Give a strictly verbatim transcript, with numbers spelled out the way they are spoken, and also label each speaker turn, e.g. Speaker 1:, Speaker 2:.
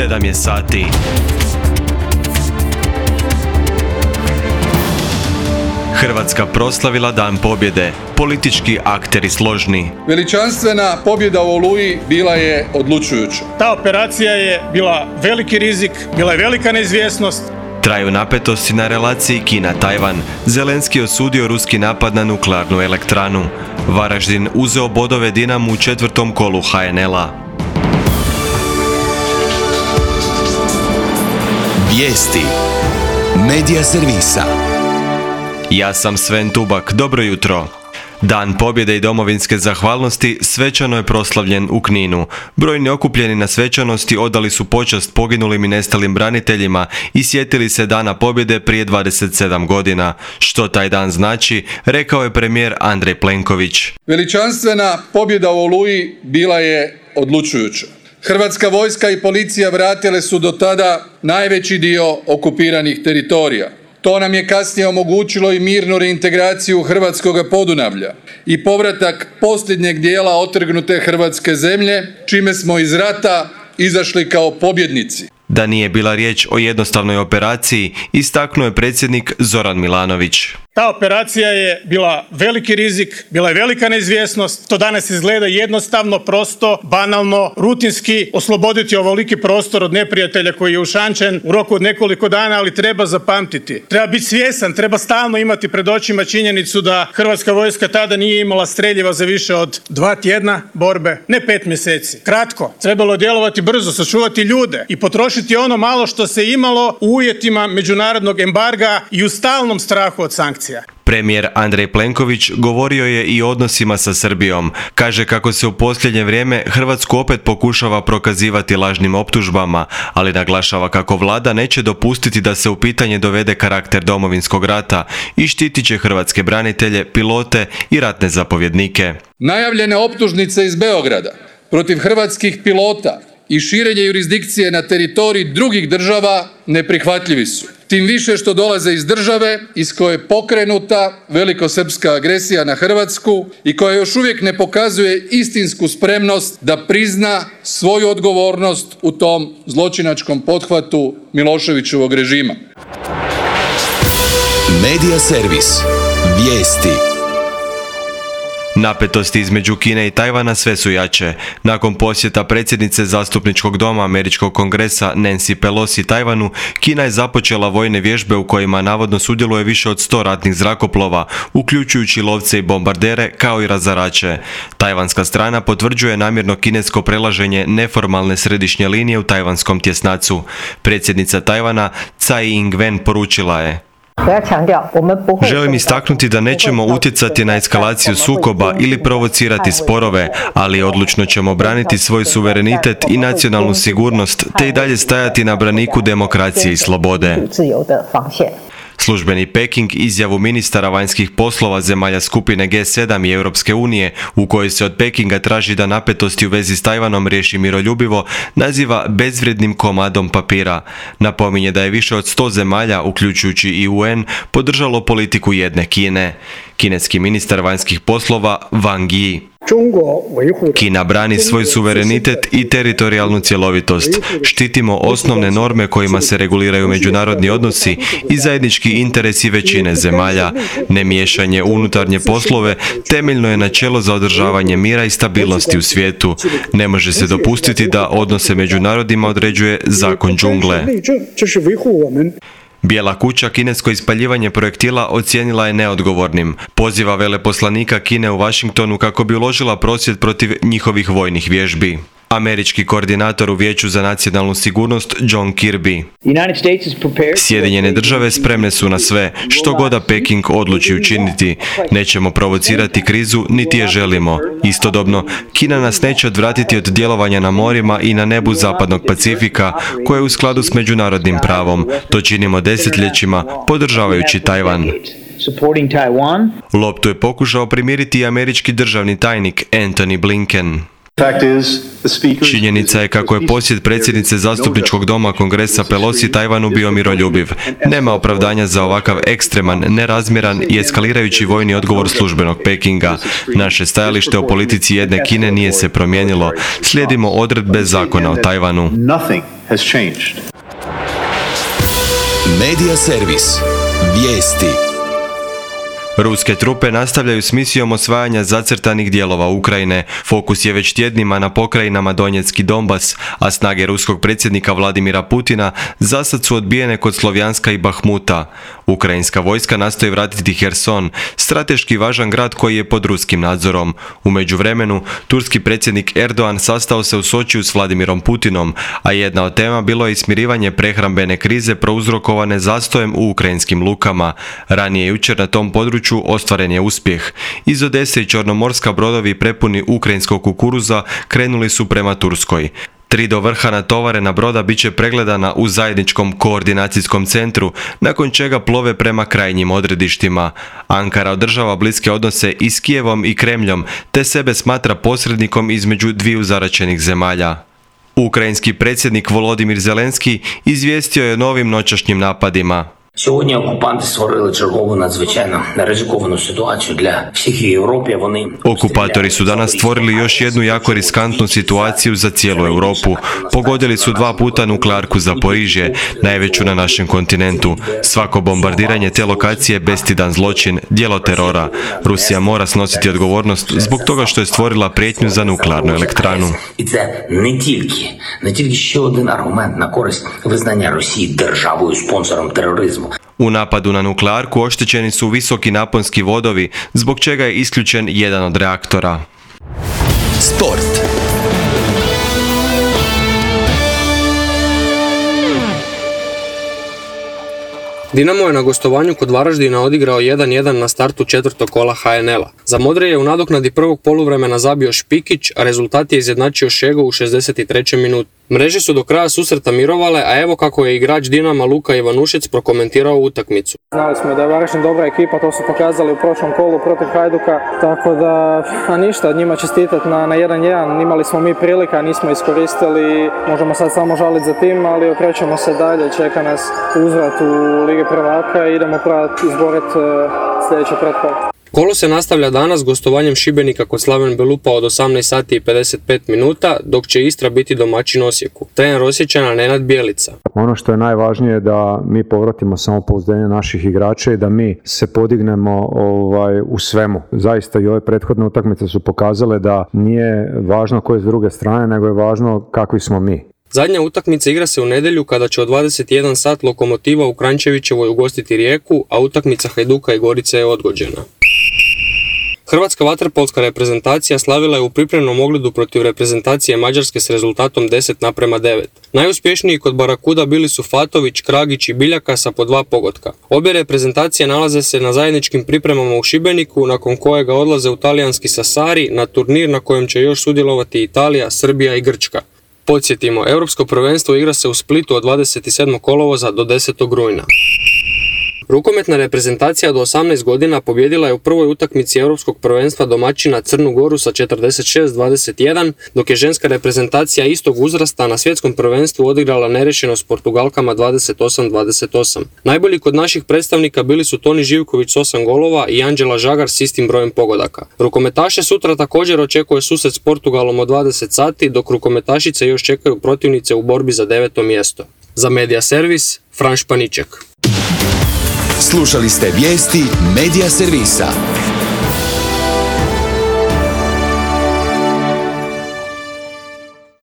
Speaker 1: sedam je sati. Hrvatska proslavila Dan pobjede, politički akteri složni.
Speaker 2: Veličanstvena pobjeda u Oluji bila je odlučujuća.
Speaker 3: Ta operacija je bila veliki rizik, bila je velika neizvjesnost.
Speaker 1: Traju napetosti na relaciji Kina-Tajvan. Zelenski osudio ruski napad na nuklearnu elektranu. Varaždin uzeo bodove Dinamu u četvrtom kolu ha en el-a.
Speaker 4: Vijesti Medija servisa.
Speaker 1: Ja sam Sven Tubak, dobro jutro. Dan pobjede i domovinske zahvalnosti svečano je proslavljen u Kninu. Brojni okupljeni na svečanosti odali su počast poginulim i nestalim braniteljima i sjetili se Dana pobjede prije dvadeset sedam godina. Što taj dan znači, rekao je premijer Andrej Plenković.
Speaker 2: Veličanstvena pobjeda u Oluji bila je odlučujuća. Hrvatska vojska i policija vratile su do tada najveći dio okupiranih teritorija. To nam je kasnije omogućilo i mirnu reintegraciju hrvatskog Podunavlja i povratak posljednjeg dijela otrgnute hrvatske zemlje, čime smo iz rata izašli kao pobjednici.
Speaker 1: Da nije bila riječ o jednostavnoj operaciji, istaknuo je predsjednik Zoran Milanović.
Speaker 3: Ta operacija je bila veliki rizik, bila je velika neizvjesnost. To danas izgleda jednostavno, prosto, banalno, rutinski osloboditi ovoliki prostor od neprijatelja koji je ušančen u roku od nekoliko dana, ali treba zapamtiti. Treba biti svjestan, treba stalno imati pred očima činjenicu da Hrvatska vojska tada nije imala streljiva za više od dva tjedna borbe, ne pet mjeseci. Kratko, trebalo je djelovati brzo, sačuvati ljude i potrošiti ono malo što se imalo u uvjetima međunarodnog embarga i u stalnom strahu od sankcija.
Speaker 1: Premijer Andrej Plenković govorio je i o odnosima sa Srbijom. Kaže kako se u posljednje vrijeme Hrvatsku opet pokušava prokazivati lažnim optužbama, ali naglašava kako vlada neće dopustiti da se u pitanje dovede karakter Domovinskog rata i štitit će hrvatske branitelje, pilote i ratne zapovjednike.
Speaker 2: Najavljene optužnice iz Beograda protiv hrvatskih pilota i širenje jurisdikcije na teritoriji drugih država neprihvatljivi su. Tim više što dolaze iz države iz koje je pokrenuta velikosrpska agresija na Hrvatsku i koja još uvijek ne pokazuje istinsku spremnost da prizna svoju odgovornost u tom zločinačkom pothvatu Miloševićevog režima.
Speaker 4: Medija servis. Vijesti.
Speaker 1: Napetosti između Kine i Tajvana sve su jače. Nakon posjeta predsjednice Zastupničkog doma Američkog kongresa Nancy Pelosi Tajvanu, Kina je započela vojne vježbe u kojima navodno sudjeluje više od sto ratnih zrakoplova, uključujući lovce i bombardere kao i razarače. Tajvanska strana potvrđuje namjerno kinesko prelaženje neformalne središnje linije u tajvanskom tjesnacu. Predsjednica Tajvana Tsai Ing-wen poručila je: Želim istaknuti da nećemo utjecati na eskalaciju sukoba ili provocirati sporove, ali odlučno ćemo braniti svoj suverenitet i nacionalnu sigurnost, te i dalje stajati na braniku demokracije i slobode. Službeni Peking izjavu ministara vanjskih poslova zemalja skupine ge sedam i Europske unije, u kojoj se od Pekinga traži da napetosti u vezi s Tajvanom riješi miroljubivo, naziva bezvrijednim komadom papira. Napominje da je više od sto zemalja, uključujući i u en, podržalo politiku jedne Kine. Kineski ministar vanjskih poslova Wang Yi: Kina brani svoj suverenitet i teritorijalnu cjelovitost. Štitimo osnovne norme kojima se reguliraju međunarodni odnosi i zajednički interesi većine zemalja. Nemiješanje u unutarnje poslove temeljno je načelo za održavanje mira i stabilnosti u svijetu. Ne može se dopustiti da odnose među narodima određuje zakon džungle. Bijela kuća kinesko ispaljivanje projektila ocijenila je neodgovornim. Poziva veleposlanika Kine u Washingtonu kako bi uložila prosvjed protiv njihovih vojnih vježbi. Američki koordinator u Vijeću za nacionalnu sigurnost John Kirby: Sjedinjene države spremne su na sve, što god da Peking odluči učiniti. Nećemo provocirati krizu, niti je želimo. Istodobno, Kina nas neće odvratiti od djelovanja na morima i na nebu zapadnog Pacifika, koje je u skladu s međunarodnim pravom. To činimo desetljećima, podržavajući Tajvan. Loptu je pokušao primiriti i američki državni tajnik Antony Blinken. Činjenica je kako je posjet predsjednice Zastupničkog doma Kongresa Pelosi Tajvanu bio miroljubiv. Nema opravdanja za ovakav ekstreman, nerazmjeran i eskalirajući vojni odgovor službenog Pekinga. Naše stajalište o politici jedne Kine nije se promijenilo. Slijedimo odredbe zakona o Tajvanu.
Speaker 5: has changed.
Speaker 4: Medija servis. Vijesti.
Speaker 1: Ruske trupe nastavljaju s misijom osvajanja zacrtanih dijelova Ukrajine. Fokus je već tjednima na pokrajinama Donjeck i Donbas, a snage ruskog predsjednika Vladimira Putina zasad su odbijene kod Slovjanska i Bahmuta. Ukrajinska vojska nastoji vratiti Herson, strateški važan grad koji je pod ruskim nadzorom. U međuvremenu, turski predsjednik Erdogan sastao se u Sočiju s Vladimirom Putinom, a jedna od tema bilo je i smirivanje prehrambene krize prouzrokovane zastojem u ukrajinskim lukama. Ranije jučer na tom području ostvaren je uspjeh. Iz Odese i Čornomorska brodovi prepuni ukrajinskog kukuruza krenuli su prema Turskoj. Tri do vrha natovarena broda bit će pregledana u zajedničkom koordinacijskom centru, nakon čega plove prema krajnjim odredištima. Ankara održava bliske odnose i s Kijevom i Kremljom, te sebe smatra posrednikom između dviju zaraćenih zemalja. Ukrajinski predsjednik Volodimir Zelenski izvijestio je o novim noćašnjim napadima.
Speaker 6: Сьогодні окупанти створили чергову надзвичайно ризиковану ситуацію для всіх Європи. Вони
Speaker 1: Okupatori su danas stvorili još jednu jako riskantnu situaciju za cijelu Europu. Pogodili su dva puta nuklearku Zaporižje, najveću na našem kontinentu. Svako bombardiranje te lokacije je bestidan zločin, djelo terora. Rusija mora snositi odgovornost zbog toga što je stvorila prijetnju za nuklearnu elektranu.
Speaker 6: І це не тільки, не тільки ще один аргумент на користь визнання Росії державою спонсором тероризму.
Speaker 1: U napadu na nuklearku oštećeni su visoki naponski vodovi, zbog čega je isključen jedan od reaktora.
Speaker 4: Sport.
Speaker 7: Dinamo je na gostovanju kod Varaždina odigrao jedan jedan na startu četvrtog kola ha en el a. Za Modre je u nadoknadi prvog poluvremena zabio Špikić, a rezultat je izjednačio Šego u šezdeset trećoj minuti. Mreže su do kraja susreta mirovale, a evo kako je igrač Dinama Luka Ivanušec prokomentirao utakmicu.
Speaker 8: Znali smo da je Varaždin dobra ekipa, to su pokazali u prošlom kolu protiv Hajduka, tako da, a ništa, njima čestitati na, na jedan jedan. Imali smo mi prilika, nismo iskoristili, možemo sad samo žaliti za tim, ali okrećemo se dalje, čeka nas uzvrat u Ligi prvaka i idemo probati izboriti sljedeće pretkolo.
Speaker 7: Kolo se nastavlja danas gostovanjem Šibenika kod Slaven Belupa od osamnaest sati i pedeset pet minuta, dok će Istra biti domaćin Osijeku. Trener Osječana Nenad Bjelica.
Speaker 9: Ono što je najvažnije je da mi povratimo samopouzdanje naših igrača i da mi se podignemo ovaj, u svemu. Zaista i ove prethodne utakmice su pokazale da nije važno ko je s druge strane, nego je važno kakvi smo mi.
Speaker 7: Zadnja utakmica igra se u nedjelju kada će od dvadeset jedan sat Lokomotiva u Kranjčevićevoj ugostiti Rijeku, a utakmica Hajduka i Gorice je odgođena. Hrvatska vaterpolska reprezentacija slavila je u pripremnom ogledu protiv reprezentacije Mađarske s rezultatom deset naprema devet. Najuspješniji kod Barakuda bili su Fatović, Kragić i Biljaka sa po dva pogotka. Obje reprezentacije nalaze se na zajedničkim pripremama u Šibeniku, nakon kojega odlaze u talijanski Sassari na turnir na kojem će još sudjelovati Italija, Srbija i Grčka. Podsjetimo, Europsko prvenstvo igra se u Splitu od dvadeset sedmog kolovoza do desetog rujna. Rukometna reprezentacija do osamnaest godina pobjedila je u prvoj utakmici Europskog prvenstva domaćina Crnu Goru sa četrdeset šest dvadeset jedan, dok je ženska reprezentacija istog uzrasta na svjetskom prvenstvu odigrala nerešeno s Portugalkama dvadeset osam dvadeset osam. Najbolji kod naših predstavnika bili su Toni Živković s osam golova i Anđela Žagar s istim brojem pogodaka. Rukometaše sutra također očekuje susret s Portugalom od dvadeset sati, dok rukometašice još čekaju protivnice u borbi za deveto mjesto. Za Medija servis, Fran Španiček.
Speaker 4: Slušali ste vijesti Medija servisa.